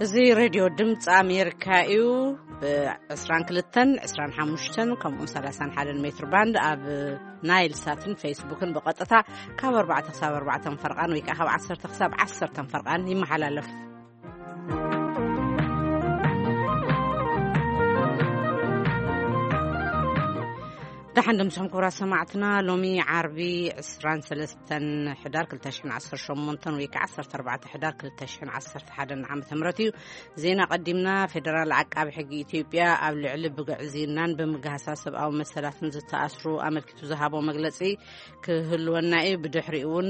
እዚ ሬድዮ ድምፂ ኣሜሪካ እዩ። ብ22፣ 25 ከምኡውን 31 ሜትር ባንድ ኣብ ናይል ሳትን ፌስቡክን ብቐጥታ ካብ ኣርባዕተ ክሳብ ኣርባዕተ ፈርቓን ወይ ከዓ ካብ ዓሰርተ ክሳብ ዓሰርተ ፈርቓን ይመሓላለፍ። ደሓን ድምፅኹም ክቡራት ሰማዕትና። ሎሚ ዓርቢ ዕስራን ሰለስተን ሕዳር ክልተ ሽሕን ዓሰርተ ሸሞንተን ወይ ከዓ ዓሰርተ ኣርባዕተ ሕዳር ክልተ ሽሕን ዓሰርተ ሓደን ዓመተ ምህረት እዩ። ዜና ቀዲምና። ፌደራል ዓቃቢ ሕጊ ኢትዮጵያ ኣብ ልዕሊ ብግዕዝይናን ብምግሃሳ ሰብኣዊ መሰላትን ዝተኣስሩ ኣመልኪቱ ዝሃቦ መግለጺ ክህልወና እዩ። ብድሕሪኡ እውን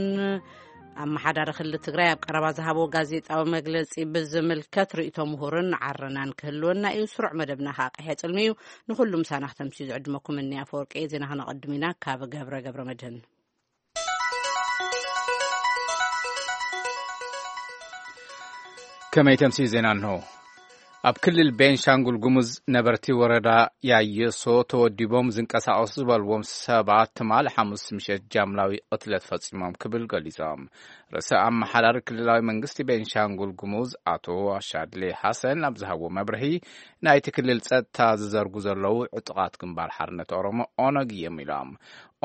ኣመሓዳሪ ክልል ትግራይ ኣብ ቀረባ ዝሃቦ ጋዜጣዊ መግለጺ ብዝምልከት ርእይቶ ምሁርን ዓረናን ክህልወና እዩ። ስሩዕ መደብና ከዓ ቀይሕ ጽልሚ እዩ። ንኹሉ ምሳና ክተምስዩ ዝዕድመኩም እኒ ኣፈወርቂ። ዜና ከነቐድም ኢና ካብ ገብረ ገብረ መድህን። ከመይ ተምስዩ ዜና እንሆ። ኣብ ክልል ቤንሻንጉል ጉሙዝ ነበርቲ ወረዳ ያየሶ ተወዲቦም ዝንቀሳቐሱ ዝበልዎም ሰባት ትማሊ ሓሙስ ምሸት ጃምላዊ ቅትለት ፈጺሞም ክብል ገሊጾም። ርእሰ ኣመሓዳሪ ክልላዊ መንግስቲ ቤንሻንጉል ጉሙዝ ኣቶ ኣሻድሌ ሓሰን ኣብ ዝሃቦ መብርሂ፣ ናይቲ ክልል ጸጥታ ዝዘርጉ ዘለዉ ዕጡቓት ግንባር ሓርነት ኦሮሞ ኦነግ እዮም ኢሎም።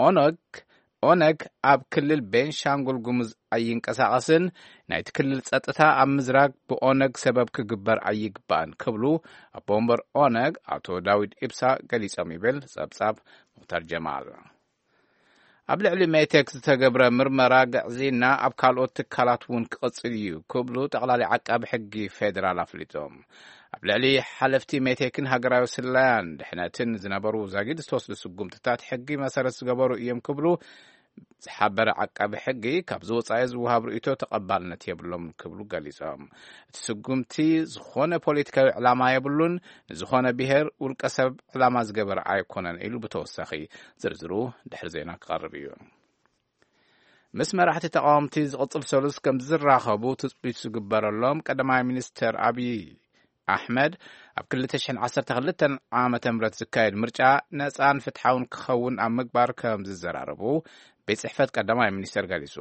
ኦነግ ኦነግ ኣብ ክልል ቤንሻንጉል ጉሙዝ ኣይንቀሳቐስን፣ ናይቲ ክልል ጸጥታ ኣብ ምዝራግ ብኦነግ ሰበብ ክግበር ኣይግባእን ክብሉ ኣቦ ወንበር ኦነግ ኣቶ ዳዊድ ኢብሳ ገሊጾም ይብል ጸብጻብ ሙኽታር ጀማል። ኣብ ልዕሊ ሜቴክ ዝተገብረ ምርመራ ግዕዝይና ኣብ ካልኦት ትካላት እውን ክቕጽል እዩ ክብሉ ጠቕላሊ ዓቃቢ ሕጊ ፌዴራል ኣፍሊጦም። ኣብ ልዕሊ ሓለፍቲ ሜቴክን ሃገራዊ ስለያን ድሕነትን ዝነበሩ ዛጊድ ዝተወስዱ ስጉምትታት ሕጊ መሰረት ዝገበሩ እዮም ክብሉ ዝሓበረ ዓቃቢ ሕጊ፣ ካብዚ ወጻኢ ዝወሃብ ርእይቶ ተቐባልነት የብሎምን ክብሉ ገሊጾም። እቲ ስጉምቲ ዝኾነ ፖለቲካዊ ዕላማ የብሉን፣ ንዝኾነ ብሔር ውልቀ ሰብ ዕላማ ዝገበረ ኣይኮነን ኢሉ ብተወሳኺ። ዝርዝሩ ድሕሪ ዜና ክቐርብ እዩ። ምስ መራሕቲ ተቃወምቲ ዝቕጽል ሰሉስ ከም ዝራኸቡ ትጽቢት ዝግበረሎም ቀዳማይ ሚኒስተር ኣብይ ኣሕመድ፣ ኣብ ክልተ ሽሕን ዓሰርተ ክልተን ዓመተ ምህረት ዝካየድ ምርጫ ነጻን ፍትሓውን ክኸውን ኣብ ምግባር ከም ዝዘራረቡ ቤት ጽሕፈት ቀዳማይ ሚኒስተር ገሊጹ።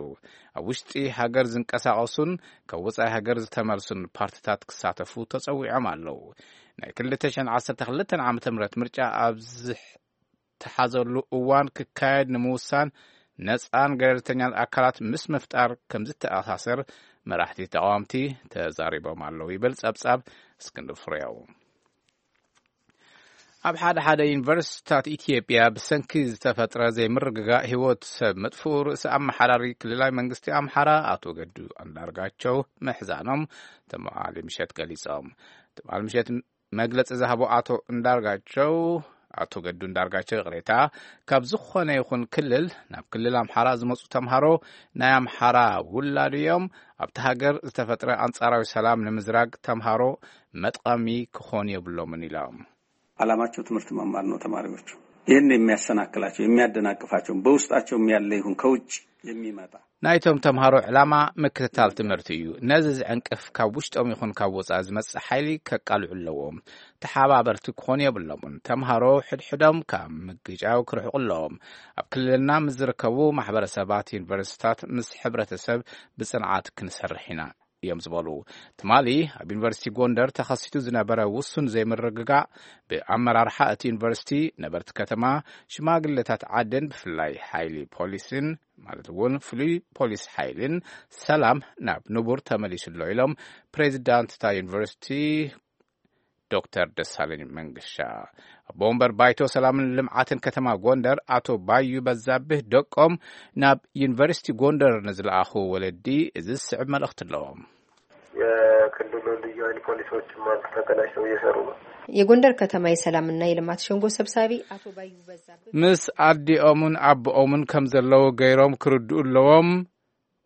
ኣብ ውሽጢ ሃገር ዝንቀሳቐሱን ካብ ወጻኢ ሃገር ዝተመልሱን ፓርትታት ክሳተፉ ተጸዊዖም ኣለዉ። ናይ ክልተ ሽሕን ዓሰርተ ክልተን ዓመተ ምህረት ምርጫ ኣብ ዝሕ ተሓዘሉ እዋን ክካየድ ንምውሳን ነጻን ገለልተኛን ኣካላት ምስ ምፍጣር ከም ዝተኣሳሰር መራሕቲ ተቃወምቲ ተዛሪቦም ኣለዉ ይብል ጸብጻብ እስክንድር ፍሬው። ኣብ ሓደ ሓደ ዩኒቨርሲቲታት ኢትዮጵያ ብሰንኪ ዝተፈጥረ ዘይምርግጋእ ህይወት ሰብ ምጥፍኡ ርእሰ ኣመሓዳሪ ክልላዊ መንግስቲ ኣምሓራ ኣቶ ገዱ ኣንዳርጋቸው ምሕዛኖም ትማሊ ምሸት ገሊጾም። ትማሊ ምሸት መግለጺ ዝሃቡ ኣቶ እንዳርጋቸው፣ ኣቶ ገዱ እንዳርጋቸው ይቕሬታ፣ ካብ ዝኾነ ይኹን ክልል ናብ ክልል ኣምሓራ ዝመጹ ተምሃሮ ናይ ኣምሓራ ውላድ እዮም። ኣብቲ ሃገር ዝተፈጥረ ኣንጻራዊ ሰላም ንምዝራግ ተምሃሮ መጥቐሚ ክኾኑ የብሎምን ኢሎም። ዓላማቸው ትምህርት መማር ነው። ተማሪዎቹ ይህን የሚያሰናክላቸው፣ የሚያደናቅፋቸው፣ በውስጣቸውም ያለ ይሁን ከውጭ የሚመጣ ናይቶም ተምሃሮ ዕላማ ምክትታል ትምህርቲ እዩ። ነዚ ዝዕንቅፍ ካብ ውሽጦም ይኹን ካብ ወጻኢ ዝመጽእ ሓይሊ ከቃልዑ ኣለዎም። ተሓባበርቲ ክኾኑ የብሎምን። ተምሃሮ ሕድሕዶም ካብ ምግጫው ክርሕቁ ኣለዎም። ኣብ ክልልና ምስ ዝርከቡ ማሕበረሰባት፣ ዩኒቨርሲቲታት ምስ ሕብረተሰብ ብጽንዓት ክንሰርሕ ኢና እዮም ዝበሉ። ትማሊ ኣብ ዩኒቨርሲቲ ጎንደር ተኸሲቱ ዝነበረ ውሱን ዘይምርግጋእ ብኣመራርሓ እቲ ዩኒቨርሲቲ፣ ነበርቲ ከተማ፣ ሽማግሌታት ዓድን ብፍላይ ሓይሊ ፖሊስን ማለት እውን ፍሉይ ፖሊስ ሓይልን ሰላም ናብ ንቡር ተመሊሱ ኣሎ ኢሎም ፕሬዚዳንት እታ ዩኒቨርሲቲ ዶክተር ደሳለኝ መንገሻ። ኣቦ ወንበር ባይቶ ሰላምን ልምዓትን ከተማ ጎንደር ኣቶ ባዩ በዛብህ ደቆም ናብ ዩኒቨርሲቲ ጎንደር ንዝለኣኹ ወለዲ እዚ ዝስዕብ መልእኽቲ ኣለዎም። የክልሉ ልዩ ኃይል ፖሊሶችም አንድ ተቀናጅተው እየሰሩ ነው። የጎንደር ከተማ የሰላምና የልማት ሸንጎ ሰብሳቢ ኣቶ ባዩ በዛብህ ምስ ኣዲኦምን ኣቦኦምን ከም ዘለዉ ገይሮም ክርድኡ ኣለዎም።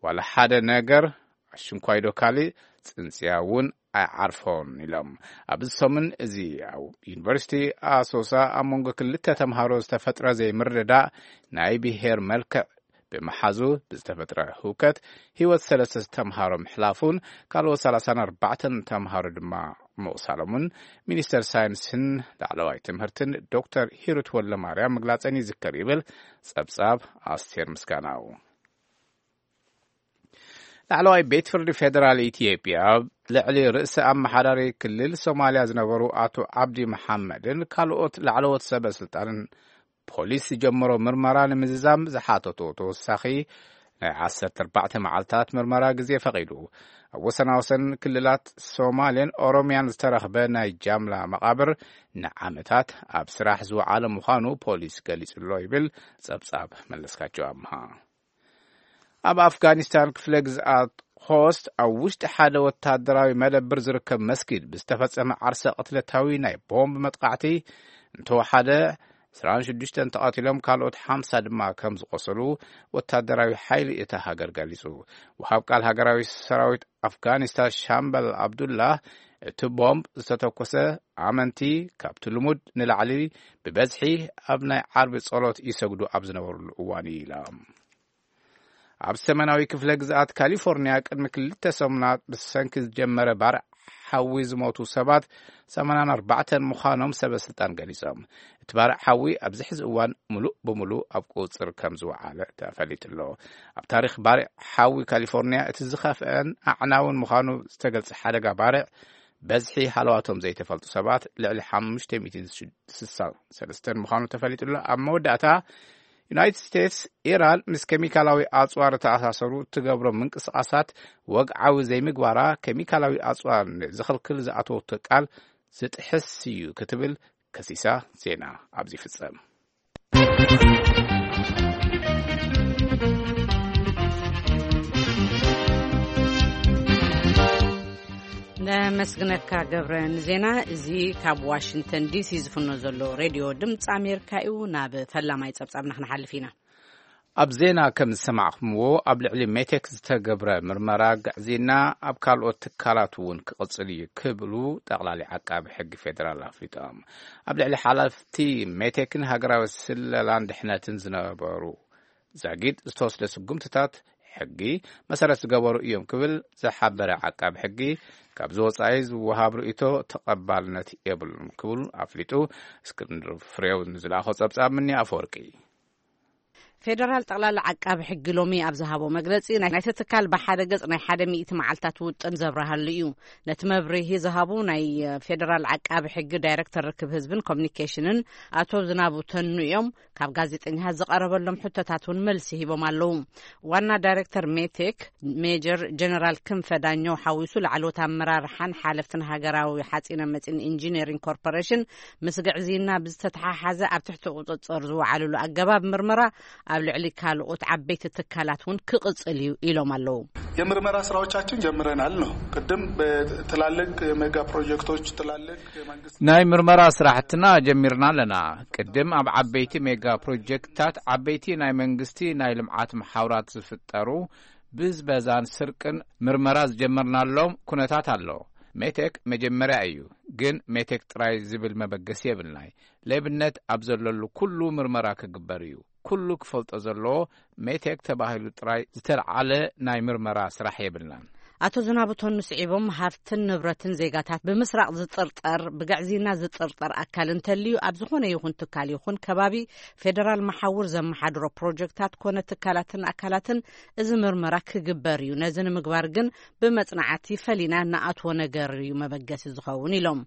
ዋላ ሓደ ነገር ኣሽንኳይዶ ካልእ ጽንጽያ እውን ኣይዓርፎን ኢሎም። ኣብዚ ሰሙን እዚ ኣብ ዩኒቨርሲቲ ኣሶሳ ኣብ መንጎ ክልተ ተምሃሮ ዝተፈጥረ ዘይምርድዳእ ናይ ብሄር መልክዕ ብምሓዙ ብዝተፈጥረ ህውከት ህይወት ሰለስተ ተምሃሮ ምሕላፉን ካልኦት ሰላሳን ኣርባዕተን ተምሃሮ ድማ ምቑሳሎምን ሚኒስተር ሳይንስን ላዕለዋይ ትምህርትን ዶክተር ሂሩት ወልደማርያም ምግላጸን ይዝከር ይብል ጸብጻብ ኣስቴር ምስጋናው። ላዕለዋይ ቤት ፍርዲ ፌደራል ኢትዮጵያ ኣብ ልዕሊ ርእሰ ኣመሓዳሪ ክልል ሶማልያ ዝነበሩ ኣቶ ዓብዲ መሓመድን ካልኦት ላዕለዎት ሰበ ስልጣንን ፖሊስ ዝጀመሮ ምርመራ ንምዝዛም ዝሓተቶ ተወሳኺ ናይ ዓሰርተ ኣርባዕተ መዓልታት ምርመራ ግዜ ፈቒዱ። ኣብ ወሰናወሰን ክልላት ሶማልን ኦሮምያን ዝተረኽበ ናይ ጃምላ መቓብር ንዓመታት ኣብ ስራሕ ዝወዓለ ምዃኑ ፖሊስ ገሊጹ ኣሎ ይብል ጸብጻብ መለስካቸው ኣምሃ። ኣብ ኣፍጋኒስታን ክፍለ ግዝኣት ኾስት ኣብ ውሽጢ ሓደ ወታደራዊ መደብር ዝርከብ መስጊድ ብዝተፈጸመ ዓርሰ ቅትለታዊ ናይ ቦምብ መጥቃዕቲ እንተወሓደ ዕስራን ሽዱሽተን ተቐቲሎም፣ ካልኦት ሓምሳ ድማ ከም ዝቖሰሉ ወታደራዊ ሓይሊ እታ ሃገር ገሊጹ። ወሃብ ቃል ሃገራዊ ሰራዊት ኣፍጋኒስታን ሻምበል ኣብዱላህ፣ እቲ ቦምብ ዝተተኮሰ ኣመንቲ ካብቲ ልሙድ ንላዕሊ ብበዝሒ ኣብ ናይ ዓርቢ ጸሎት ይሰግዱ ኣብ ዝነበሩሉ እዋን እዩ ኢላ። ኣብ ሰሜናዊ ክፍለ ግዝኣት ካሊፎርኒያ ቅድሚ ክልተ ሰሙናት ብሰንኪ ዝጀመረ ባርዕ ሓዊ ዝሞቱ ሰባት ሰማንያን ኣርባዕተን ምዃኖም ሰበ ስልጣን ገሊጾም። እቲ ባርዕ ሓዊ ኣብዚ ሕዚ እዋን ምሉእ ብምሉእ ኣብ ቁጽር ከም ዝወዓለ ተፈሊጡ ኣሎ። ኣብ ታሪኽ ባርዕ ሓዊ ካሊፎርኒያ እቲ ዝኸፍአን ኣዕናውን ምዃኑ ዝተገልጸ ሓደጋ ባርዕ በዝሒ ሃለዋቶም ዘይተፈልጡ ሰባት ልዕሊ ሓሙሽተ ሚእቲ ስሳ ሰለስተን ምዃኑ ተፈሊጡ ኣሎ። ኣብ መወዳእታ ዩናይትድ ስቴትስ፣ ኢራን ምስ ኬሚካላዊ ኣጽዋር ተኣሳሰሩ እትገብሮ ምንቅስቓሳት ወግዓዊ ዘይምግባራ፣ ኬሚካላዊ ኣጽዋር ንዝኽልክል ዝኣተወቶ ቃል ዝጥሕስ እዩ ክትብል ከሲሳ። ዜና ኣብዚ ይፍጸም። ነመስግነካ ገብረ ንዜና እዚ። ካብ ዋሽንግተን ዲሲ ዝፍኖ ዘሎ ሬድዮ ድምፂ ኣሜሪካ እዩ። ናብ ፈላማይ ጸብጻብና ክንሓልፍ ኢና። ኣብ ዜና ከም ዝሰማዕኩምዎ፣ ኣብ ልዕሊ ሜቴክ ዝተገብረ ምርመራ ግዕዝይና ኣብ ካልኦት ትካላት እውን ክቕጽል እዩ ክብሉ ጠቕላሊ ዓቃቢ ሕጊ ፌደራል ኣፍሊጦም። ኣብ ልዕሊ ሓላፍቲ ሜቴክን ሃገራዊ ስለላን ድሕነትን ዝነበሩ ዛጊድ ዝተወስደ ስጉምትታት ሕጊ መሰረት ዝገበሩ እዮም ክብል ዝሓበረ ዓቃቢ ሕጊ፣ ካብዚ ወጻኢ ዝወሃብ ርእይቶ ተቐባልነት የብሉን ክብል ኣፍሊጡ። እስክንድር ፍሬው ንዝለኣኾ ጸብጻብ ምኒ ኣፈወርቂ። ፌደራል ጠቕላሊ ዓቃቢ ሕጊ ሎሚ ኣብ ዝሃቦ መግለጺ፣ ናይ ናይቲ ትካል ብሓደ ገጽ ናይ ሓደ ሚእቲ መዓልታት ውጥን ዘብርሃሉ እዩ። ነቲ መብርሂ ዝሃቡ ናይ ፌደራል ዓቃቢ ሕጊ ዳይሬክተር ርክብ ህዝብን ኮሚኒኬሽንን ኣቶ ዝናቡ ተኑ እዮም። ካብ ጋዜጠኛታት ዝቐረበሎም ሕቶታት እውን መልሲ ሂቦም ኣለዉ። ዋና ዳይሬክተር ሜቴክ ሜጀር ጀነራል ክንፈ ዳኘው ሓዊሱ ላዕለዎት ኣመራርሓን ሓለፍትን ሃገራዊ ሓፂነ መፂን ኢንጂነሪንግ ኮርፖሬሽን ምስ ግዕዝይና ብዝተተሓሓዘ ኣብ ትሕቲ ቁፅፅር ዝወዓልሉ ኣገባብ ምርመራ ኣብ ልዕሊ ካልኦት ዓበይቲ ትካላት እውን ክቕፅል እዩ ኢሎም ኣለዉ። የምርመራ ስራዎቻችን ጀምረናል ነው። ቅድም በትላልቅ የሜጋ ፕሮጀክቶች፣ ትላልቅ የመንግስት ናይ ምርመራ ስራሕትና ጀሚርና ኣለና። ቅድም ኣብ ዓበይቲ ሜጋ ፕሮጀክትታት፣ ዓበይቲ ናይ መንግስቲ ናይ ልምዓት መሓውራት ዝፍጠሩ ብዝበዛን ስርቅን ምርመራ ዝጀመርናሎም ኩነታት ኣሎ። ሜቴክ መጀመርያ እዩ፣ ግን ሜቴክ ጥራይ ዝብል መበገሲ የብልናይ። ሌብነት ኣብ ዘለሉ ኩሉ ምርመራ ክግበር እዩ። ኩሉ ክፈልጦ ዘለዎ ሜቴክ ተባሂሉ ጥራይ ዝተልዓለ ናይ ምርመራ ስራሕ የብልናን። ኣቶ ዝናቡ ተኑ ስዒቦም፣ ሃፍትን ንብረትን ዜጋታት ብምስራቕ ዝጥርጠር፣ ብግዕዝይና ዝጥርጠር ኣካል እንተልዩ፣ ኣብ ዝኾነ ይኹን ትካል ይኹን ከባቢ ፌደራል መሓውር ዘመሓድሮ ፕሮጀክታት ኮነ ትካላትን ኣካላትን እዚ ምርመራ ክግበር እዩ። ነዚ ንምግባር ግን ብመጽናዕቲ ፈሊና ንኣትዎ ነገር እዩ መበገሲ ዝኸውን ኢሎም።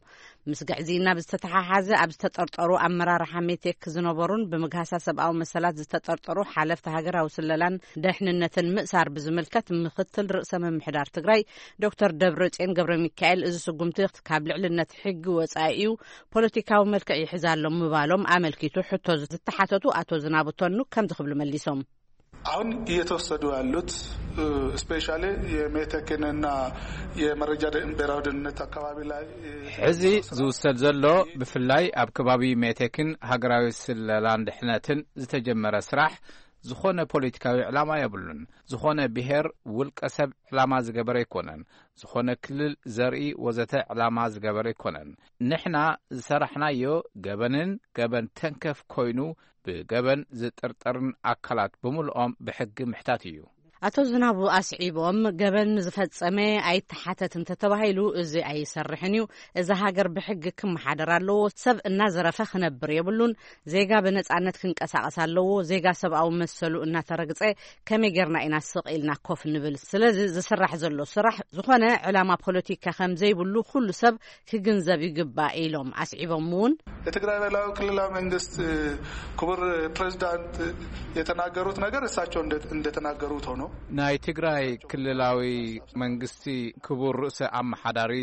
ምስ ግዕዝይና ብዝተተሓሓዘ ኣብ ዝተጠርጠሩ ኣመራርሓ ሜቴክ ዝነበሩን ብምግሃሳ ሰብኣዊ መሰላት ዝተጠርጠሩ ሓለፍቲ ሃገራዊ ስለላን ደሕንነትን ምእሳር ብዝምልከት ምክትል ርእሰ ምምሕዳር ትግራይ ዶክተር ደብረጽዮን ገብረ ሚካኤል፣ እዚ ስጉምቲ ካብ ልዕልነት ሕጊ ወጻኢ እዩ፣ ፖለቲካዊ መልክዕ ይሕዝ ኣሎ ምባሎም ኣመልኪቱ ሕቶ ዝተሓተቱ ኣቶ ዝናቡ ተኑ ከምዚ ክብሉ መሊሶም። አሁን እየተወሰዱ ያሉት ስፔሻሊ የሜቴክንና የመረጃ ደ- ብሔራዊ ደህንነት አካባቢ ላይ ሕዚ ዝውሰድ ዘሎ፣ ብፍላይ ኣብ ከባቢ ሜቴክን ሃገራዊ ስለላን ድሕነትን ዝተጀመረ ስራሕ ዝኾነ ፖለቲካዊ ዕላማ የብሉን። ዝኾነ ብሔር ውልቀ ሰብ ዕላማ ዝገበረ ኣይኮነን። ዝኾነ ክልል፣ ዘርኢ ወዘተ ዕላማ ዝገበረ ኣይኮነን። ንሕና ዝሰራሕናዮ ገበንን ገበን ተንከፍ ኮይኑ ብገበን ዝጥርጠርን ኣካላት ብምልኦም ብሕጊ ምሕታት እዩ። ኣቶ ዝናቡ ኣስዒቦም፣ ገበን ዝፈጸመ ኣይተሓተት እንተተባሂሉ፣ እዚ ኣይሰርሕን እዩ። እዛ ሃገር ብሕጊ ክመሓደር ኣለዎ። ሰብ እናዘረፈ ክነብር የብሉን። ዜጋ ብነጻነት ክንቀሳቐስ ኣለዎ። ዜጋ ሰብኣዊ መሰሉ እናተረግጸ ከመይ ጌርና ኢና ስቕ ኢልና ኮፍ ንብል? ስለዚ ዝስራሕ ዘሎ ስራሕ ዝኾነ ዕላማ ፖለቲካ ከም ዘይብሉ ኩሉ ሰብ ክግንዘብ ይግባእ ኢሎም ኣስዒቦም እውን። የትግራይ ብሔራዊ ክልላዊ መንግስት ክቡር ፕሬዚዳንት የተናገሩት ነገር እሳቸው እንደ- እንደተናገሩት ሆኖ ናይ ትግራይ ክልላዊ መንግስቲ ክቡር ርእሰ ኣመሓዳሪ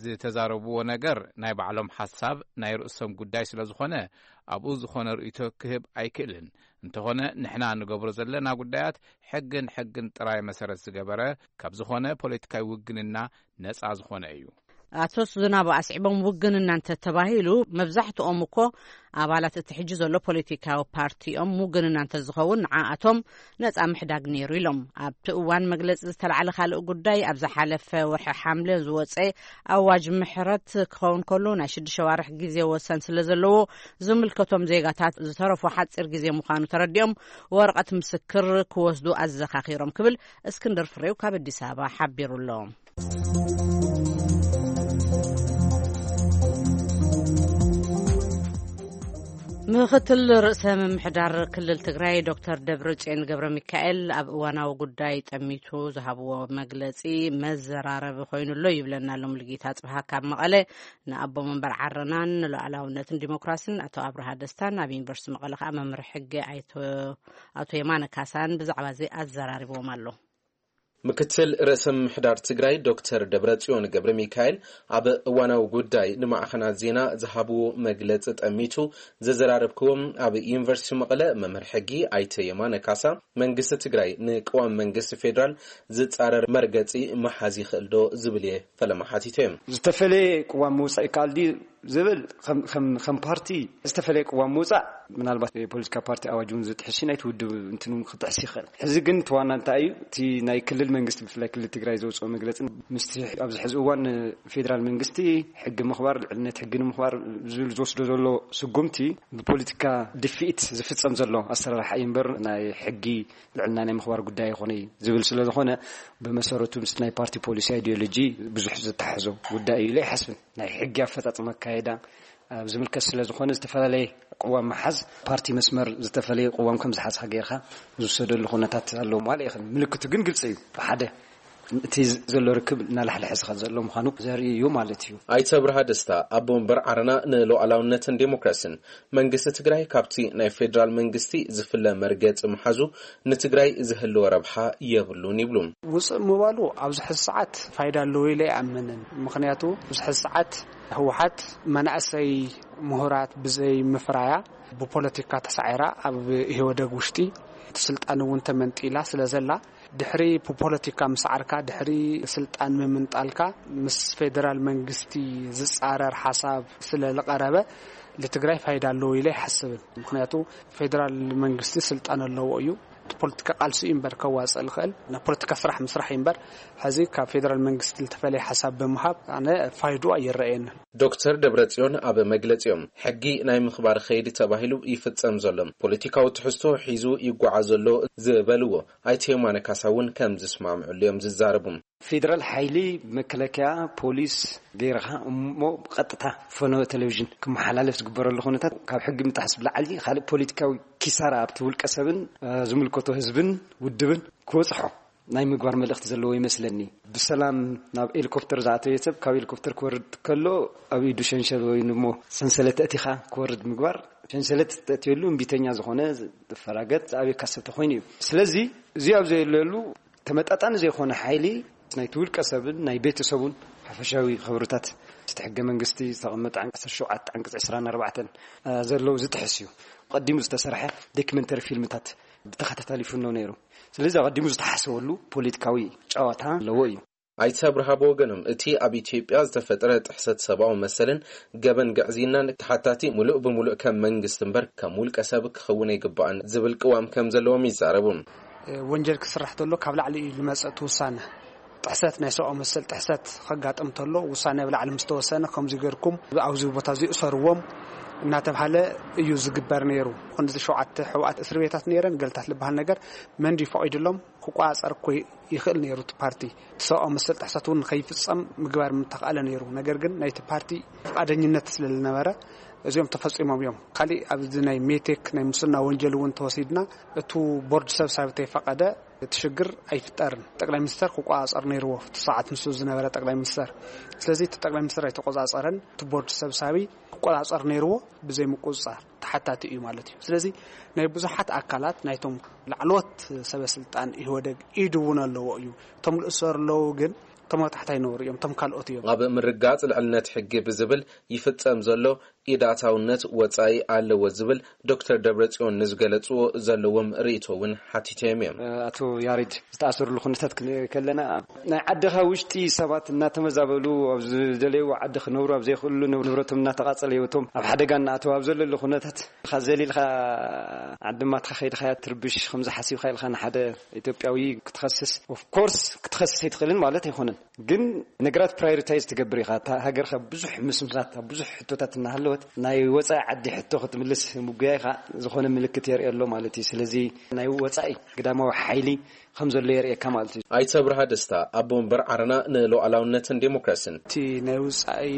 ዝተዛረብዎ ነገር ናይ ባዕሎም ሓሳብ ናይ ርእሶም ጉዳይ ስለ ዝኾነ፣ ኣብኡ ዝኾነ ርእይቶ ክህብ ኣይክእልን። እንተኾነ ንሕና ንገብሮ ዘለና ጉዳያት ሕግን ሕግን ጥራይ መሰረት ዝገበረ ካብ ዝኾነ ፖለቲካዊ ውግንና ነጻ ዝኾነ እዩ። ኣቶ ዝናቡ ኣስዒቦም፣ ውግንና እንተተባሂሉ መብዛሕትኦም እኮ ኣባላት እቲ ሕጂ ዘሎ ፖለቲካዊ ፓርቲ እዮም። ውግንና እንተዝኸውን ንዓኣቶም ነጻ ምሕዳግ ነይሩ ኢሎም። ኣብቲ እዋን መግለጺ ዝተላዕለ ካልእ ጉዳይ፣ ኣብ ዝሓለፈ ወርሒ ሓምለ ዝወጸ ኣዋጅ ምሕረት ክኸውን ከሎ፣ ናይ ሽዱሽተ ዋርሕ ግዜ ወሰን ስለ ዘለዎ፣ ዝምልከቶም ዜጋታት ዝተረፎ ሓጺር ግዜ ምዃኑ ተረዲኦም፣ ወረቐት ምስክር ክወስዱ ኣዘኻኺሮም ክብል እስክንድር ፍሬው ካብ ኣዲስ ኣበባ ሓቢሩ ኣሎ። ምክትል ርእሰ ምምሕዳር ክልል ትግራይ ዶክተር ደብረጽዮን ገብረ ሚካኤል ኣብ እዋናዊ ጉዳይ ጠሚቱ ዝሃብዎ መግለጺ መዘራረቢ ኮይኑ ኣሎ ይብለና ኣሎ ሙሉጌታ ጽብሃ ካብ መቐለ። ንኣቦ መንበር ዓረናን ንሉዓላውነትን ዲሞክራሲን ኣቶ ኣብርሃ ደስታን ኣብ ዩኒቨርሲቲ መቐለ ከኣ መምህር ሕጊ ኣይቶ ኣቶ የማነ ካሳን ብዛዕባ እዚ ኣዘራሪብዎም ኣሎ። ምክትል ርእሰ ምምሕዳር ትግራይ ዶክተር ደብረጽዮን ገብረ ሚካኤል ኣብ እዋናዊ ጉዳይ ንማዕኸናት ዜና ዝሃብዎ መግለጺ ጠሚቱ ዘዘራረብክዎም ኣብ ዩኒቨርሲቲ መቐለ መምህር ሕጊ ኣይተ የማነ ካሳ፣ መንግስቲ ትግራይ ንቅዋም መንግስቲ ፌዴራል ዝጻረር መርገጺ ምሓዝ ይኽእል ዶ ዝብል እየ ፈለማ ሓቲተ። ዝተፈለየ ቅዋም ምውጻእ ይከኣል ድዩ ዝብል ከም- ከም- ከም ፓርቲ ዝተፈለየ ቅዋም ምውጻእ ምናልባት የፖለቲካ ፓርቲ ኣዋጅ እውን ዝጥሕስ እዩ፣ ናይቲ ውድብ እንትን እውን ክጥሕስ ይኽእል። ሕዚ ግን እቲ ዋና እንታይ እዩ? እቲ ናይ ክልል መንግስቲ ብፍላይ ክልል ትግራይ ዘውፅኦ መግለፂ ምስቲ ኣብዚ ሕዚ እዋን ፌዴራል መንግስቲ ሕጊ ምኽባር፣ ልዕልነት ሕጊ ንምኽባር ዝብል ዝወስዶ ዘሎ ስጉምቲ ብፖለቲካ ድፍኢት ዝፍፀም ዘሎ ኣሰራርሓ እዩ እምበር ናይ ሕጊ ልዕልና ናይ ምኽባር ጉዳይ ኣይኾነ እዩ ዝብል ስለ ዝኾነ ብመሰረቱ ምስ ናይ ፓርቲ ፖሊሲ ኣይዲዮሎጂ ብዙሕ ዝተሓሕዞ ጉዳይ እዩ ኢለ ኣይሓስብን። ናይ ሕጊ ኣፈፃፅማ ኣካየዳ ኣብ ዝምልከት ስለ ዝኾነ ዝተፈላለየ ቅዋም ምሓዝ ፓርቲ መስመር ዝተፈለየ ቅዋም ከም ዝሓዝካ ጌርካ ዝውሰደሉ ኩነታት ኣሎ ማለት ይኽእል። ምልክቱ ግን ግልፂ እዩ። ብሓደ እቲ ዘሎ ርክብ እናላሕለሐ ዝኸድ ዘሎ ምዃኑ ዘርኢ እዩ ማለት እዩ። ኣይተ ኣብርሃ ደስታ ኣቦ ወንበር ዓረና ንሉዓላውነትን ዴሞክራሲን መንግስቲ ትግራይ ካብቲ ናይ ፌዴራል መንግስቲ ዝፍለ መርገፂ ምሓዙ ንትግራይ ዝህልዎ ረብሓ የብሉን ይብሉ። ውፅእ ምባሉ ኣብዚ ሕዚ ሰዓት ፋይዳ ኣለዎ ኢለ ኣይኣምንን። ምኽንያቱ ኣብዚ ሕዚ ሰዓት ህወሓት መናእሰይ ምሁራት ብዘይ ምፍራያ ብፖለቲካ ተሳዒራ ኣብ ኢህወደግ ውሽጢ እቲ ስልጣን እውን ተመንጢላ ስለ ዘላ ድሕሪ ብፖለቲካ ምስዓርካ ድሕሪ ስልጣን ምምንጣልካ ምስ ፌደራል መንግስቲ ዝፃረር ሓሳብ ስለ ዝቐረበ ንትግራይ ፋይዳ ኣለዎ ኢለ ኣይሓስብን። ምኽንያቱ ፌደራል መንግስቲ ስልጣን ኣለዎ እዩ። እቲ ፖለቲካ ቃልሲ እዩ እምበር ከዋፅእ ዝኽእል ናይ ፖለቲካ ስራሕ ምስራሕ እዩ እምበር ሕዚ ካብ ፌደራል መንግስቲ ዝተፈለየ ሓሳብ ብምሃብ ኣነ ፋይድኡ ኣይረኣየንን። ዶክተር ደብረጽዮን ኣብ መግለጺኦም ሕጊ ናይ ምኽባር ኸይዲ ተባሂሉ ይፍጸም ዘሎ ፖለቲካዊ ትሕዝቶ ሒዙ ይጓዓዝ ዘሎ ዝበልዎ ኣይተ የማነ ካሳ እውን ከም ዝስማምዕሉ እዮም ዝዛረቡ። ፌደራል ሓይሊ መከላከያ ፖሊስ ገይርኻ እሞ ብቐጥታ ፈነወ ቴሌቪዥን ክመሓላለፍ ዝግበረሉ ኩነታት ካብ ሕጊ ምጥሓስ ብላዕሊ ካልእ ፖለቲካዊ ኪሳራ ኣብቲ ውልቀ ሰብን ዝምልከቶ ህዝብን ውድብን ክበፅሖ ናይ ምግባር መልእኽቲ ዘለዎ ይመስለኒ። ብሰላም ናብ ሄሊኮፕተር ዝኣተወ ሰብ ካብ ሄሊኮፕተር ክወርድ ከሎ ኣብ ኢዱ ሸንሸል ወይ እሞ ሰንሰለት ተእቲኻ ክወርድ ምግባር፣ ሸንሰለት ተእትየሉ እምቢተኛ ዝኾነ ዝፈራገጥ ዝኣብየካ ሰብ ተኾይኑ እዩ። ስለዚ እዚ ኣብ ዘየለሉ ተመጣጣኒ ዘይኮነ ሓይሊ ናይቲ ውልቀ ሰብን ናይ ቤተሰቡን ሓፈሻዊ ክብርታት እቲ ሕገ መንግስቲ ዝተቐመጠ ዓንቀፅ ዓሰርተ ሸውዓተ ዓንቀፅ ዕስራን ኣርባዕተን ዘለዉ ዝጥሕስ እዩ። ቀዲሙ ዝተሰርሐ ዶክመንተሪ ፊልምታት ብተኸታታሊ ይፍኖ ነይሩ። ስለዚ ኣቐዲሙ ዝተሓሰበሉ ፖለቲካዊ ጨዋታ ኣለዎ እዩ። ኣይተ ኣብርሃ ብወገኖም እቲ ኣብ ኢትዮጵያ ዝተፈጥረ ጥሕሰት ሰብኣዊ መሰልን ገበን ግዕዝይናን ተሓታቲ ሙሉእ ብሙሉእ ከም መንግስቲ እምበር ከም ውልቀ ሰብ ክኸውን ኣይግባእን ዝብል ቅዋም ከም ዘለዎም ይዛረቡ። ወንጀል ክስራሕ ተሎ ካብ ላዕሊ እዩ ዝመጽእ እቲ ውሳነ። ጥሕሰት ናይ ሰብኣዊ መሰል ጥሕሰት ከጋጥም ተሎ ውሳነ ኣብ ላዕሊ ምስ ተወሰነ ከምዚ ገርኩም ኣብዚ ቦታ እዚ እሰርዎም እናተባሃለ እዩ ዝግበር ነይሩ። ክንዲ ሸውዓተ ሕቡኣት እስር ቤታት ነይረን፣ ገልታት ዝበሃል ነገር መን ድዩ ፈቒዱሎም ክቆጻጸር እኮ ይኽእል ነይሩ። እቲ ፓርቲ እቲ ሰብኣዊ መሰል ጥሕሰት እውን ንኸይፍጸም ምግባር ምተኽኣለ ነይሩ። ነገር ግን ናይቲ ፓርቲ ፍቓደኝነት ስለ ዝነበረ እዚኦም ተፈጺሞም እዮም። ካሊእ ኣብዚ ናይ ሜቴክ ናይ ሙስና ወንጀል እውን ተወሲድና፣ እቱ ቦርድ ሰብሳቢ ተይፈቐደ እቲ ሽግር ኣይፍጠርን። ጠቅላይ ሚኒስተር ክቆጻጸር ነይርዎ፣ እቲ ሰዓት ንሱ ዝነበረ ጠቅላይ ሚኒስተር። ስለዚ እቲ ጠቅላይ ሚኒስተር ኣይተቆጻጸረን። እቲ ቦርድ ሰብሳቢ ክቆጻጸር ነይርዎ፣ ብዘይ ምቁጽጻር ተሓታቲ እዩ ማለት እዩ። ስለዚ ናይ ብዙሓት ኣካላት ናይቶም ላዕለዎት ሰበ ስልጣን ኢህወደግ ኢድ እውን ኣለዎ እዩ። እቶም ዝእሰሩ ኣለዉ፣ ግን እቶም ኣብ ታሕታይ ነውሪ እዮም፣ እቶም ካልኦት እዮም። ኣብ ምርጋጽ ልዕልነት ሕጊ ብዝብል ይፍጸም ዘሎ ኢዳታውነት ወጻኢ ኣለዎ ዝብል ዶክተር ደብረጽዮን ንዝገለጽዎ ዘለዎም ርእይቶ እውን ሓቲተዮም እዮም። ኣቶ ያሬድ፣ ዝተኣሰሩሉ ኩነታት ክንርኢ ከለና፣ ናይ ዓድኻ ውሽጢ ሰባት እናተመዛበሉ፣ ኣብ ዝደለይዎ ዓዲ ክነብሩ ኣብ ዘይኽእሉ፣ ንብረቶም እናተቓጸለ፣ ህይወቶም ኣብ ሓደጋ እናኣተወ ኣብ ዘለሉ ኩነታት፣ ኢኻ ዘሊልካ ዓዲ ማትካ ከይድካ ትርብሽ፣ ከምዚ ሓሲብካ ኢልካ ንሓደ ኢትዮጵያዊ ክትኸስስ፣ ኦፍ ኮርስ ክትኸስስ ኣይትኽእልን ማለት ኣይኮነን። ግን ነገራት ፕራዮሪታይዝ ትገብር ኢኻ። እታ ሃገርካ ብዙሕ ምስምሳት፣ ብዙሕ ሕቶታት እናሃለወት፣ ናይ ወጻኢ ዓዲ ሕቶ ክትምልስ ምጉያይካ ዝኾነ ምልክት የርኢ ኣሎ ማለት እዩ። ስለዚ ናይ ወጻኢ ግዳማዊ ሓይሊ ከም ዘሎ የርእየካ ማለት እዩ። ኣይተ ብርሃ ደስታ፣ ኣቦ ወንበር ዓረና ንሉዓላውነትን ዴሞክራሲን። እቲ ናይ ውጻኢ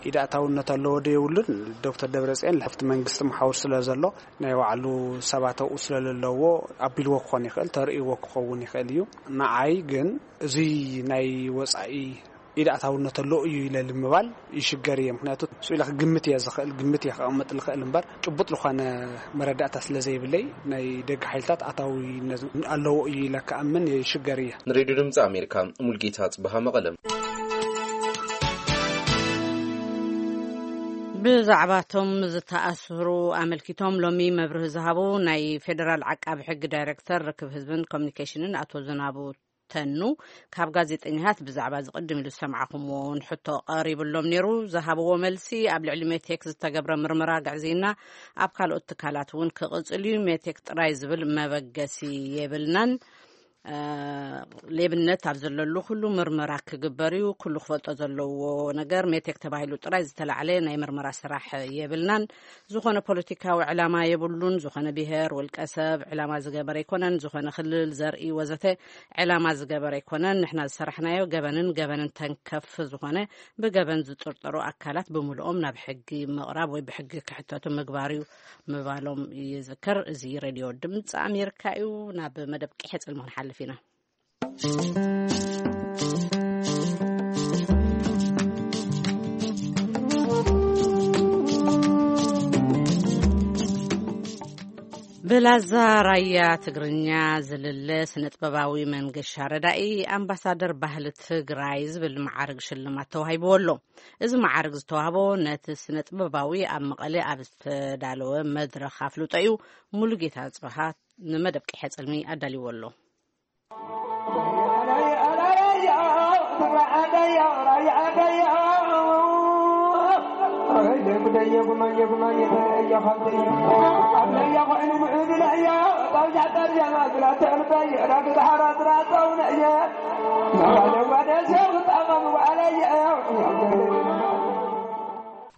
ኢዳእታውነት ኣለዎ ዶ የብሉን? ዶክተር ደብረጽዮን ለፍቲ መንግስቲ መሓውር ስለ ዘሎ፣ ናይ ባዕሉ ሰባት ኣብኡ ስለ ዘለዎ ኣቢልዎ ክኾን ይኽእል፣ ተርእይዎ ክኸውን ይኽእል እዩ። ንዓይ ግን እዚ ናይ ወጻኢ ኢዳእታውነት ኣለዎ እዩ ኢለ ንምባል ይሽገር እየ። ምክንያቱ ስኡ ኢለ ክግምት እየ ዝኽእል፣ ግምት እየ ክቐምጥ ዝኽእል እምበር፣ ጭቡጥ ዝኾነ መረዳእታ ስለ ዘይብለይ፣ ናይ ደገ ሓይልታት ኣታዊነት ኣለዎ እዩ ኢለ ክኣምን ይሽገር እየ። ንሬድዮ ድምፂ ኣሜሪካ፣ ሙልጌታ ጽበሃ፣ መቐለም። ብዛዕባቶም ዝተኣስሩ ኣመልኪቶም ሎሚ መብርሂ ዝሃቡ ናይ ፌደራል ዓቃቢ ሕጊ ዳይሬክተር ርክብ ህዝብን ኮሚኒኬሽንን ኣቶ ዝናቡ ተኑ፣ ካብ ጋዜጠኛታት ብዛዕባ ዝቕድም ኢሉ ዝሰማዕኩምዎ እውን ሕቶ ቀሪብሎም ነይሩ። ዝሃብዎ መልሲ፣ ኣብ ልዕሊ ሜቴክ ዝተገብረ ምርመራ ግዕዝይና ኣብ ካልኦት ትካላት እውን ክቕጽል እዩ። ሜቴክ ጥራይ ዝብል መበገሲ የብልናን። እ፣ ሌብነት ኣብ ዘለሉ ኩሉ ምርመራ ክግበር እዩ። ኩሉ ክፈልጦ ዘለዎ ነገር፣ ሜቴክ ተባሂሉ ጥራይ ዝተላዕለ ናይ ምርመራ ስራሕ የብልናን። ዝኾነ ፖለቲካዊ ዕላማ የብሉን። ዝኾነ ብሄር፣ ውልቀ ሰብ ዕላማ ዝገበረ ኣይኮነን። ዝኾነ ክልል፣ ዘርኢ ወዘተ ዕላማ ዝገበረ ኣይኮነን። ንሕና ዝሰራሕናዮ ገበንን ገበንን ተንከፍ ዝኾነ ብገበን ዝጥርጠሩ ኣካላት ብምልኦም ናብ ሕጊ ምቕራብ ወይ ብሕጊ ክሕተቱ ምግባር እዩ ምባሎም ይዝከር። እዚ ሬድዮ ድምፂ ኣሜሪካ እዩ። ናብ መደብ ቂሐ ጽልሚ ክንሓልፍ ኢና። ብላዛ ራያ ትግርኛ ዝልለ ስነ ጥበባዊ መንገሻ ረዳኢ ኣምባሳደር ባህሊ ትግራይ ዝብል መዓርግ ሽልማት ተዋሂብዎ ኣሎ። እዚ መዓርግ ዝተዋህቦ ነቲ ስነ ጥበባዊ ኣብ መቐለ ኣብ ዝተዳለወ መድረኽ ኣፍልጦ እዩ። ሙሉጌታ ጽብሃ ንመደብ ቂሐ ጽልሚ ኣዳልይዎ ኣሎ።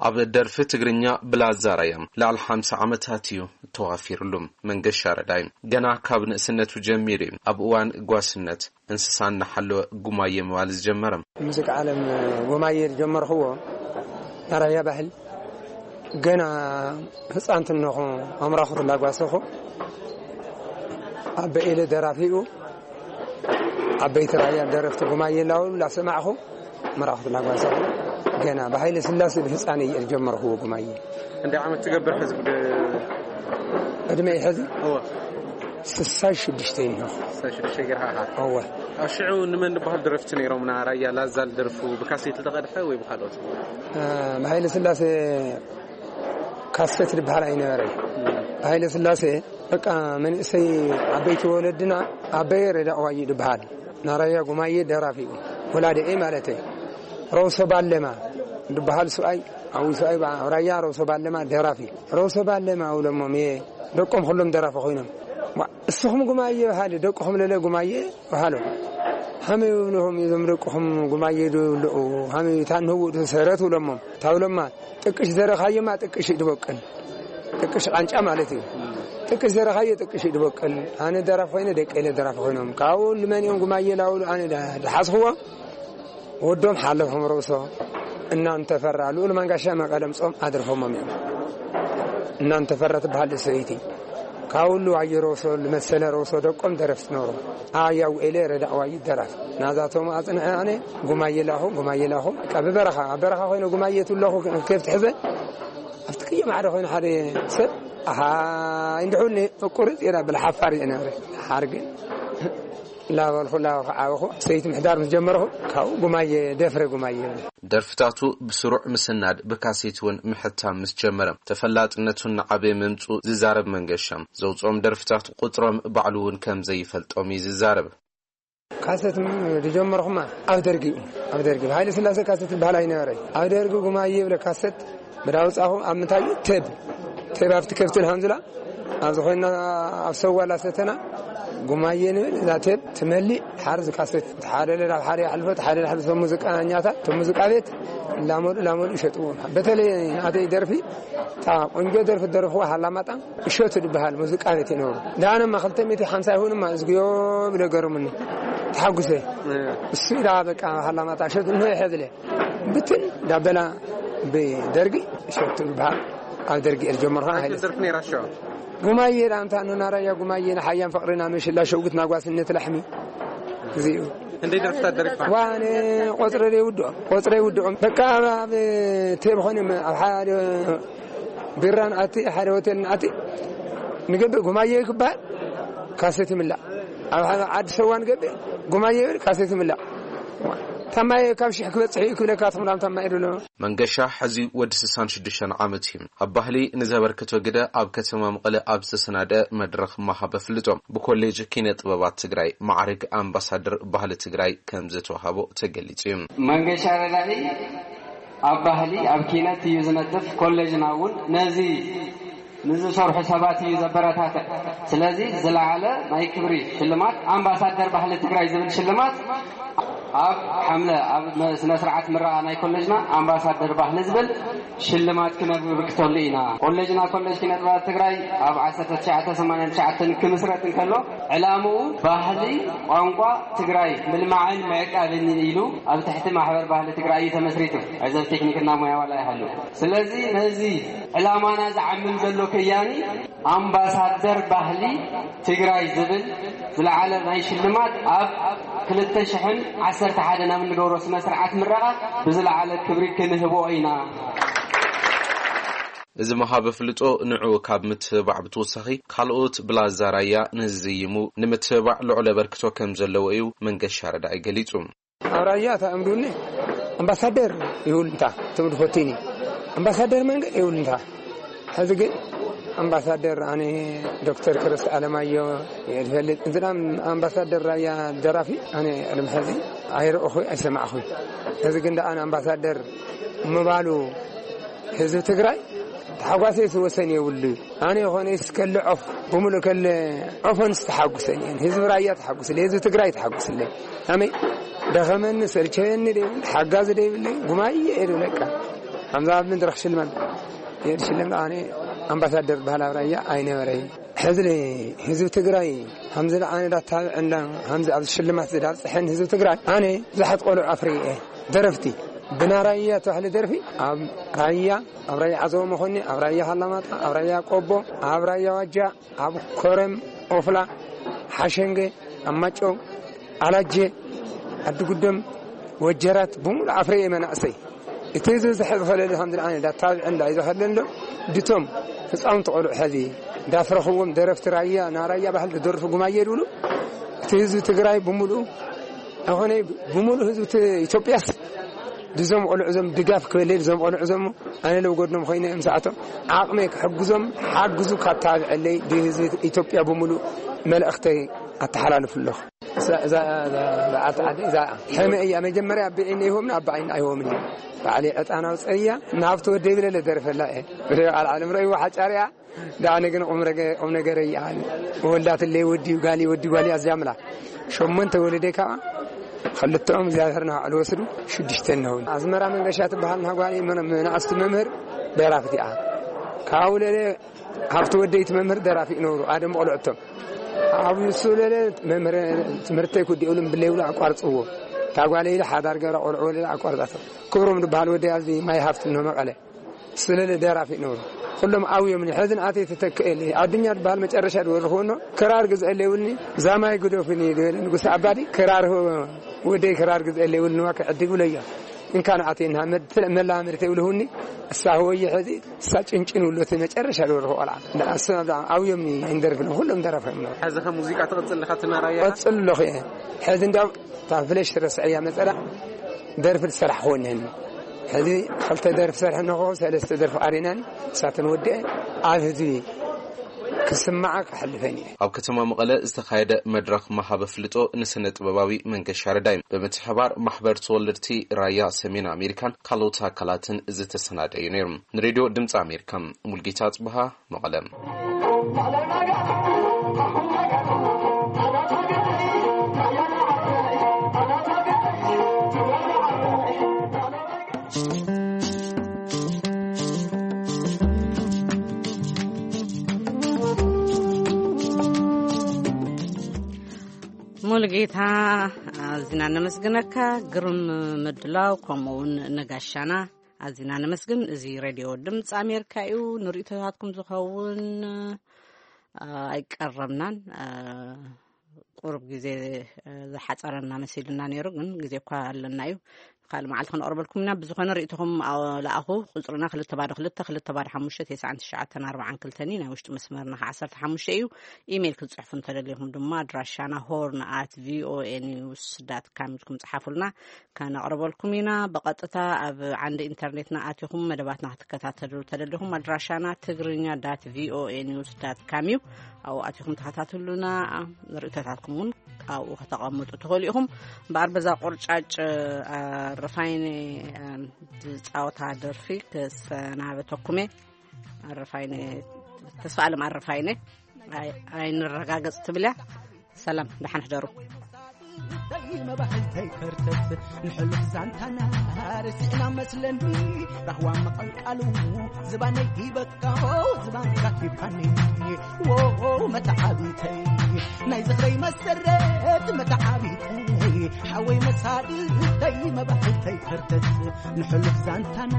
ኣብ ደርፊ ትግርኛ ብላዛ ራያ ልዕሊ ሓምሳ ዓመታት እዩ ተዋፊርሉ። መንገሻ ረዳይ ገና ካብ ንእስነቱ ጀሚሩ እዩ ኣብ እዋን ጓስነት እንስሳ እናሓለወ ጉማየ ምባል ዝጀመረ። ሙዚቃ ዓለም ጉማየ ዝጀመርክዎ ናራያ ባህል ገና ህፃንትነኹ ኣምራኹ ትላጓሰኹ ኣበ ኢለ ደራፊኡ ዓበይቲ ራያ ደረፍቲ ጉማየ ላውሉ ላሰማዕኹ ምራኹ ትላጓሰኹ ገና ብሃይለ ስላሴ ብህፃነ እየ ዝጀመርክዎ ጉማየ። እንደ ዓመት ትገብር ሕዝብ ዕድመ ሕዚ እወ። ስሳይ ሽዱሽተ እኒሆ። ስሳይ ሽዱሽተ ገርሃ ኢኻ። እወ። ኣብ ሽዑ ንመን ዝበሃል ደረፍቲ ነይሮም? ና ራያ ላዛል ደርፉ ብካሴት ዝተቐድሐ ወይ ብካልኦት? እ፣ ብሃይለ ስላሴ ካሴት ዝበሃል ኣይነበረን። ብሃይለ ስላሴ በቃ መንእሰይ ዓበይቲ ወለድና ኣበየ ረዳ ዋዩ ዝበሃል ናራያ ጉማየ ደራፊ እዩ። ወላዲኤ ማለተይ። ሮሶ ባለማ ዝበሃል ሰብኣይ፣ ዓብዩ ሰብኣይ ባ-፣ ራያ ሮሶ ባለማ ደራፊ። ሮሶ ባለማ ውለሞም እየ። ደቆም ኩሎም ደራፊ ኮይኖም። ዋ፣ እስኹም ጉማየ በሃሊ፣ ደቅኹም ለለ ጉማየ በሃሎ። ሃመይ ይብልኹም እዞም ደቅኹም ጉማየ ዶ ይብልዑ? ሃመይ ታንህው ሰረት ውለሞም። ታውለማ ጥቅሽ ዘረኻየማ ጥቅሽ ድበቅል። ጥቅሽ ቃንጫ ማለት እዩ። ጥቅሽ ዘረኻየ ጥቅሽ ድበቅል። ኣነ ደራፍ ኮይነ ደቀ ኢለ ደራፍ ኮይኖም። ካብኡ ልመን እዮም ጉማየ ላውሉ ኣነ ዳ-፣ ድሓዝኽዎ። ወዶም ሓለፎም ሮሶ እናንተፈራ ልኡል መንጋሻ መቐለም ጾም ኣድርፎሞም እዮም። እናንተፈራ ትበሃል ሰበይቲ ካብ ሁሉ ኣየ ሮሶ፣ መሰለ ሮሶ ደቆም ደረፍቲ ነበሩ። ኣያው ኤለ ረዳእ ዋይ ደራፍ ናዛቶም ኣጽንዐ ኣነ ጉማየ ላኹ፣ ጉማየ ላኹ። በቃ ብበረኻ፣ ኣብ በረኻ ኮይነ ጉማየ ትብለኹ ከብቲ ሕዘ ኣብቲ ክየ ማዕረ ኮይኑ ሓደ ሰብ ኣሃ እንድሑኒ ቁርጽ የላ ብልሓፋር እየ ነብረ ሓርግን ላበልኹ ላበልኹ ዓበኹ ሰይቲ ምሕዳር ምስ ጀመርኹ ካብኡ ጉማየ ደፍረ ጉማየ ይብል። ደርፍታቱ ብስሩዕ ምስናድ ብካሴት እውን ምሕታም ምስ ጀመረ ተፈላጥነቱ እናዓበየ ምምፁ ዝዛረብ መንገሻ፣ ዘውፅኦም ደርፍታት ቁፅሮም ባዕሉ እውን ከም ዘይፈልጦም እዩ ዝዛረብ። ካሰት ም-፣ ዝጀመርኹማ ኣብ ደርጊ እዩ። ኣብ ደርጊ ብሃይለ ስላሴ ካሰት ዝበሃል ኣይነበረ። ኣብ ደርጊ ጉማየ ይብለ ካሰት ብዳውፃኹ ኣብ ምንታይ እዩ? ቴብ፣ ቴብ ኣብቲ ከብትን ሃንዙላ ኣብዚ ኮይና ኣብ ሰዋላ ሰተና ጉማየ ንብል። እዛ ቴብ ትመሊእ ሓርዚ ካሰት ሓደ ናብ ሓደ ይሓልፎ፣ ሓደ ናብ ሓደ ሙዚቃኛታት፣ እቶም ሙዚቃ ቤት ላመዱ ላመዱ ይሸጥዎ። በተለይ ኣተይ ደርፊ፣ እታ ቆንጆ ደርፊ ደርፍዋ ሃላማጣ እሸቱ ዝበሃል ሙዚቃ ቤት ይነበሩ። ዳኣነማ ክልተ ሚእቲ ሓምሳ ይሁንማ እዝግዮ ብለ ገርሙኒ። ተሓጉሰ። እሱ ኢላ በቃ ሃላማጣ እሸቱ እንሆ ይሐዝለ። ብትን ዳበላ ብደርጊ ሸቱ በሃል ኣብ ደርጊ እየ ዝጀመርኩ። ኣንተ ሃይለ ደርፍ ነይራ ሸዋ? ጉማየ ዳንታ ኖና ራያ ጉማየ ንሓያን ፍቕርና ምሽላ ሸውግት ናጓስነት ላሕሚ። እዚኡ። እንደ ደርፍታት ደሪፍካ? ዋነ ቆፅረ ደይ ውድኦም፣ ቆፅረ ይውድኦም። በቃ ኣብ ቴብ ኾነ ኣብ ሓደ ቢራን ኣቲ ሓደ ሆቴልን ኣቲ ንገብእ ጉማየ ክበሃል ካሰት ይምላእ። ኣብ ዓዲ ሰዋን ገብእ ጉማየ ይብል ካሰት ይምላእ። ታማየ ካብ ሽሕ ክበፅሕ እዩ ክብለካ ትምራም ታማየ ድሎ። መንገሻ ሕዚ ወዲ ስሳን ሽዱሽተን ዓመት እዩ። ኣብ ባህሊ ንዘበርክቶ ግደ ኣብ ከተማ መቐለ ኣብ ዝተሰናደ መድረኽ መሃብ ኣፍልጦ ብኮሌጅ ኪነ ጥበባት ትግራይ ማዕርግ ኣምባሳደር ባህሊ ትግራይ ከም ዝተዋሃቦ ተገሊጹ እዩ። መንገሻ ረዳኢ ኣብ ባህሊ ኣብ ኪነት እዩ ዝነጥፍ። ኮሌጅና እውን ነዚ ንዝሰርሑ ሰባት እዩ ዘበረታትዕ። ስለዚ ዝለዓለ ናይ ክብሪ ሽልማት ኣምባሳደር ባህሊ ትግራይ ዝብል ሽልማት ኣብ ሓምለ ኣብ ስነ ስርዓት ምረቓ ናይ ኮሌጅና ኣምባሳደር ባህሊ ዝብል ሽልማት ክነበርክተሉ ኢና። ኮሌጅና ኮሌጅ ኪነ ጥበባት ትግራይ ኣብ ዓሰርተ ትሽዓተ ሰማንያን ትሽዓተን ክምስረት እንከሎ ዕላምኡ ባህሊ ቋንቋ ትግራይ ምልማዕን ምዕቃብን ኢሉ ኣብ ትሕቲ ማሕበር ባህሊ ትግራይ እዩ ተመስሪቱ። ዕዘብ ቴክኒክና ሞያ ዋላ ይሃሉ። ስለዚ ነዚ ዕላማና ዝዓምም ዘሎ ከያኒ ኣምባሳደር ባህሊ ትግራይ ዝብል ዝለዓለ ናይ ሽልማት ኣብ ክልተ ሽሕን ዓሰርተ ሓደን ኣብ እንገብሮ ስነ ስርዓት ምረቓ ብዝለዓለ ክብሪ ክንህቦ ኢና። እዚ መሃብ ኣፍልጦ ንዑ ካብ ምትብባዕ ብተወሳኺ ካልኦት ብላዛ ራያ ንዝዝይሙ ንምትብባዕ ልዑል ኣበርክቶ ከም ዘለዎ እዩ መንገሻ ረዳኢ ገሊጹ። ኣብ ራያ እታ እምዱኒ ኣምባሳደር ይውልንታ ትምድ ፈቲኒ ኣምባሳደር መንገድ ይውልንታ። ሕዚ ግን ኣምባሳደር ኣነ ዶክተር ክርስ ኣለማዮ እየ ዝፈልጥ። እንትና ኣምባሳደር ራያ ደራፊ ኣነ ቅድሚ ሕዚ ኣይረእኹ ኣይሰማዕኹ። ሕዚ ግን ደኣ ኣምባሳደር ምባሉ ህዝቢ ትግራይ ተሓጓሰ ዝወሰን የብሉ። ኣነ ይኾነ እስከለ ዖፍ ብምሉእ ከለ ዖፈን ዝተሓጉሰን እየን። ህዝቢ ራያ ተሓጉስለ፣ ህዝቢ ትግራይ ተሓጉስለ። ኣመይ ደኸመኒ ሰልቸየኒ ደይብል ሓጋዚ ደይብለይ ጉማየ እየ ደብለካ። ከምዛ ኣብ መድረኽ ሽልማት የድሽለም ኣነ ኣምባሳደር ባህላዊ ራያ ኣይነበረይ። ሕዚ ህዝቢ ትግራይ ከምዚ ኣነ ዳታብዐና ከምዚ ኣብዚ ሽልማት ዝዳብፅሐን ህዝቢ ትግራይ ኣነ ብዙሓት ቆልዑ ኣፍርየ እየ። ደረፍቲ ብና ራያ ተባህለ ደርፊ ኣብ ራያ ኣብ ራያ ዓዘቦ መኾኒ ኣብ ራያ ሃላማጣ ኣብ ራያ ቆቦ ኣብ ራያ ዋጃ ኣብ ኮረም ኦፍላ ሓሸንገ ኣብ ማጨው ኣላጀ ዓዲጉደም ወጀራት ብምሉእ ኣፍረየ መናእሰይ እቲ ዝበዝሐ ዝኸለለ ከም ዝለኣነ ዳታብዐ እንዳ ይዘኸለሎ ድቶም ህፃውንቲ ቆልዑ ሕዚ ዳፍረኽዎም ደረፍቲ ራያ ናራያ ባህል ዝደርፉ ጉማየ ድብሉ እቲ ህዝቢ ትግራይ ብምሉእ ኣኾነ ብምሉእ ህዝቢ ት-፣ ኢትዮጵያስ ድዞም ቆልዑ ዞም ድጋፍ ክበለይ ድዞም ቆልዑ ዞም ኣነ ለብጎድኖም ኮይነ ምሳኣቶም ዓቕመይ ክሕግዞም ሓግዙ ካብ ታብዐለይ ድህዝቢ ኢትዮጵያ ብምሉእ መልእኽተይ ኣተሓላልፉ ኣለኹ። እዛ፣ እዛ፣ እዛ በዓልቲ ዓዲ እዛ ሕመ እያ። መጀመርያ ብዒነ ይሆምን ኣብ ብዓይኒ ኣይሆምን እዩ። ባዕለይ ዕጣን ኣውፀእያ ናብቲ ወደይ ብለለ ደርፈላ እየ። ብደ ቃል ዓለም ረእይዎ ሓጫርያ ደኣ ነገን ቁም ረገ-፣ ቁም ነገር ይኣል። ወላትለይ ወዲ ጓሊ፣ ወዲ ጓሊ ኣዝያ ምላ። ሸሞንተ ወለደይ ከዓ፣ ክልተኦም እግዚኣብሔር ንባዕሉ ወስዱ፣ ሽዱሽተ እንሆን። ኣዝመራ መንገሻ ትበሃል ንጓሊ መን-፣ መናእስቲ መምህር ደራፊት እያ። ካብኡ ለለ ሃብቲ ወደይቲ መምህር ደራፊ ይነብሩ፣ ኣደም ቆልዑቶም። ኣብኡ እሱ ለለ መምህር ትምህርተይ ኩዲኡሉ ብለይብሉ ኣቋርጽዎ። እታ ጓለይ ኢለ ሓዳር ገራ ቆልዑ ወለለ ኣቋርጻቶ። ክብሮም ዝበሃል ወደይ ኣብዚ ማይ ሃብቲ እንሆ መቐለ። ስለለ ደራፊ ይነብሩ። ኩሎም ኣብዮም ንሕዚ ንኣተይ ተተክእል። ኣዱኛ ዝበሃል መጨረሻ ድወርኽዎ እኖ፣ ክራር ግዝአለይ ይብልኒ፣ ዛማይ ግደፉኒ ድበለ ንጉስ ኣባዲ፣ ክራር ወደይ ክራር ግዝአለይ ይብልኒ፣ ዋከ ዕድግ ብለዮ። እንካ ንኣተይ እና መድ-፣ መላምድተይ ይብልሁኒ፣ እሳ ህወየ ሕዚ፣ እሳ ጭንጭን ይብሉ፣ እቲ መጨረሻ ድወርኽዎ ቆልዓ። ንኣስ ኣብዮም ኣይንደርፍን፣ ኩሎም ደራፊ እዮም። ሕዚ ከ ሙዚቃ ትቕጽል ኣለኻ? ትናራያ? ቀጽል ኣለኹ እየ። ሕዚ እንዳው እታ ፍለሽ ረስዐያ መጸላ ደርፊ ዝሰራሕኽዎ እኒሀኒ። ሕዚ ክልተ ደርፊ ሰርሐ ኣለኹ፣ ሰለስተ ደርፊ ኣሪናኒ፣ እሳተን ወዲአ ኣብ ህዝቢ ክስማዓ ክሕልፈን እየ። ኣብ ከተማ መቐለ ዝተኻየደ መድረኽ መሃብ ኣፍልጦ ንስነ ጥበባዊ መንገሻ ረዳይ ብምትሕባር ማሕበር ተወለድቲ ራያ ሰሜን ኣሜሪካን ካልኦት ኣካላትን ዝተሰናደዩ ነይሩ። ንሬድዮ ድምፂ ኣሜሪካ ሙልጌታ ጽብሃ መቐለ። ሙሉጌታ፣ ኣዝና ነመስግነካ። ግርም ምድላው፣ ከምኡ እውን ነጋሻና ኣዝና ነመስግን። እዚ ሬድዮ ድምፂ ኣሜሪካ እዩ። ንርእይቶታትኩም ዝኸውን፣ አ፣ ኣይቀረብናን። አ፣ ቁሩብ ግዜ፣ አ፣ ዝሓፀረና መሲሉና ነይሩ፣ ግን ግዜ እኳ ኣለና እዩ። ካልእ መዓልቲ ክንቐርበልኩም ኢና። ብዝኾነ ርእይቶኹም፣ አ፣ ለኣኹ። ቁፅርና ክልተ ባዶ ክልተ፣ ክልተ ባዶ ሓሙሽተ፣ ተስዓን ትሽዓተን ኣርባዓን ክልተን እዩ። ናይ ውሽጢ መስመርና ከዓ ዓሰርተ ሓሙሽተ እዩ። ኢሜይል ክትፅሕፉ እንተደሊኹም ድማ ኣድራሻና ሆርን ኣት ቪኦኤ ኒውስ ዳት ካም ኢልኩም ፅሓፉልና። ከነቕርበልኩም ኢና። ብቐጥታ ኣብ ዓንዲ ኢንተርኔትና ኣቲኹም መደባትና ክትከታተሉ ተደሊኹም ኣድራሻና ትግርኛ ዳት ቪኦኤ ኒውስ ዳት ካም እዩ። ኣብኡ ኣቲኹም ተኸታተሉና። ርእይቶታትኩም እውን ኣብኡ ከተቐምጡ ትኽእሉ ኢኹም። እምበኣር በዛ ቁርጫጭ ኣረፋይነ ዝፃወታ ደርፊ ክሰናበተኩም እየ። ኣረፋይነ፣ ተስፋ ኣለም ኣረፋይነ። ኣይ-፣ ኣይንረጋገጽ ትብል እያ። ሰላም፣ ደሓን ሕደሩ። መባሕልተይ ከርተት ንሕሉፍ ዛንታና ርሲዕና መስለኒ። ራህዋ መቐልቃሉ ዝባነይ ሂበካ፣ ዝባንካ ሂብካኒ። ዎ መተዓቢተይ ናይ ዝኽረይ መሰረት መተዓቢተይ ሓወይ መሳድተይ መባሕልተይ ከርተት ንሕሉፍ ዛንታና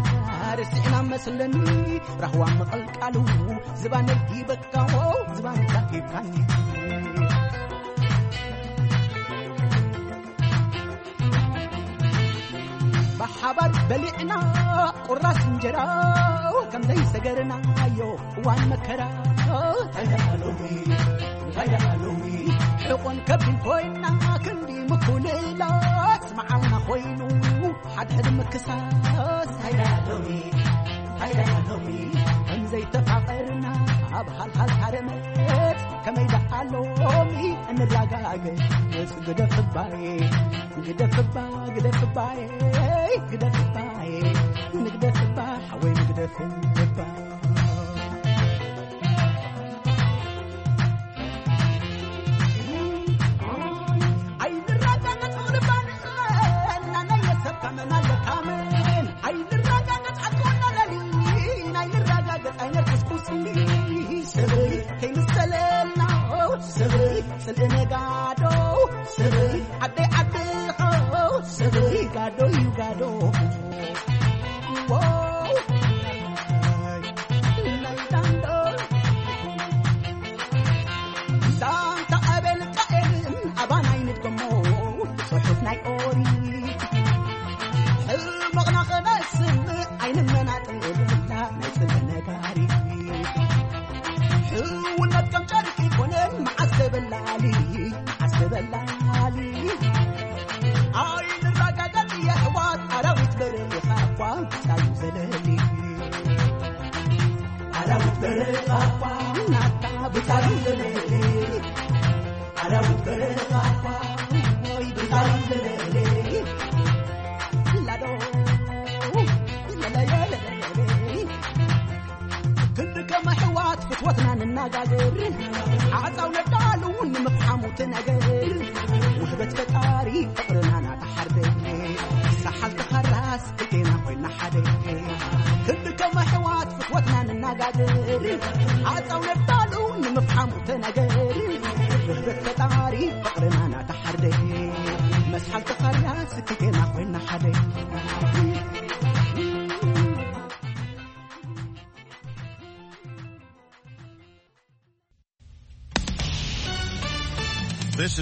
ርሲዕና መስለኒ። ራህዋ መቐልቃሉ ዝባነይ ሂበካ፣ ዝባንካ ሂብካኒ። ብሓባር በሊዕና ቁራስ እንጀራ ከም ዘይሰገርናዮ እዋን መከራ። እንታይ ደኣ ሎሚ፣ እንታይ ደኣ ሎሚ፣ ሕቆን ከብድን ኮይና ክንዲ ምኩልላስ መዓልና ኮይኑ ሓድሕድ ምክሳስ። እንታይ ደኣ ሎሚ፣ እንታይ ደኣ ሎሚ፣ ከም ዘይተፋቐርና ኣብ ሃልሃል ሃረመት ከመይ ደኣ ሎሚ እንረጋገጽ። ግደፍባይ፣ ግደፍባ፣ ግደፍባይ፣ ግደፍባይ፣ ንግደፍባ ሓወይ ንግደፍባ። ኣይንረጋገጽ ቁርባን እናናየ ሰብ ካመን ኣለካመን። ኣይንረጋገጽ ኣትኮና ለሊ፣ ኣይንረጋገጽ ኣይነልቅስ ቁስሊ። ሰበይ ከይምሰለና፣ ሰበይ ጽልኢ ነጋዶ፣ ሰበይ ዓደይ ዓድኻ፣ ሰበይ ጋዶ እዩ ጋዶ። ዛንታ ኣቤል ቃኤልን ኣባን ኣይንድገሞ፣ ጽሑፍ ናይ ኦሪት። ሕልሞቕና ኸነስምዕ ኣይንመናጠልና ናይ ጽልኢ ነጋሪት። ሕውነት ከም ጨርቂ ኮነን መዓስ ተበላሊ፣ መዓስ ተበላሊ። ኣይንረጋገጽ የሕዋት ኣራዊት በረኻ እኳ ብጻዩ ዘለሊ። ኣራዊት በረኻ እኳ ናታ ብጻዩ ዘለሊ። ኣራዊት በረኻ እኳ ወይ ብጻዩ ዘለሊ። ላዶ ለለየለለሊ። ክንዲ ከም ኣሕዋት ፍትወ ነገር ውህበት ፈጣሪ ፍቕርና ናተሓርደ ሰሓልቲ ኻራስ ክልቴና ኮይና ሓደ ክንዲ ከም ኣሕዋት ፍትወትና ንናጋገር ሓፃው ነዳሉ ንምፍሓሙ ተነገር ውህበት ፈጣሪ ፍቕርና ናተሓርደ መስሓልቲ ኻራስ ክልቴና ኮይና ሓደ This is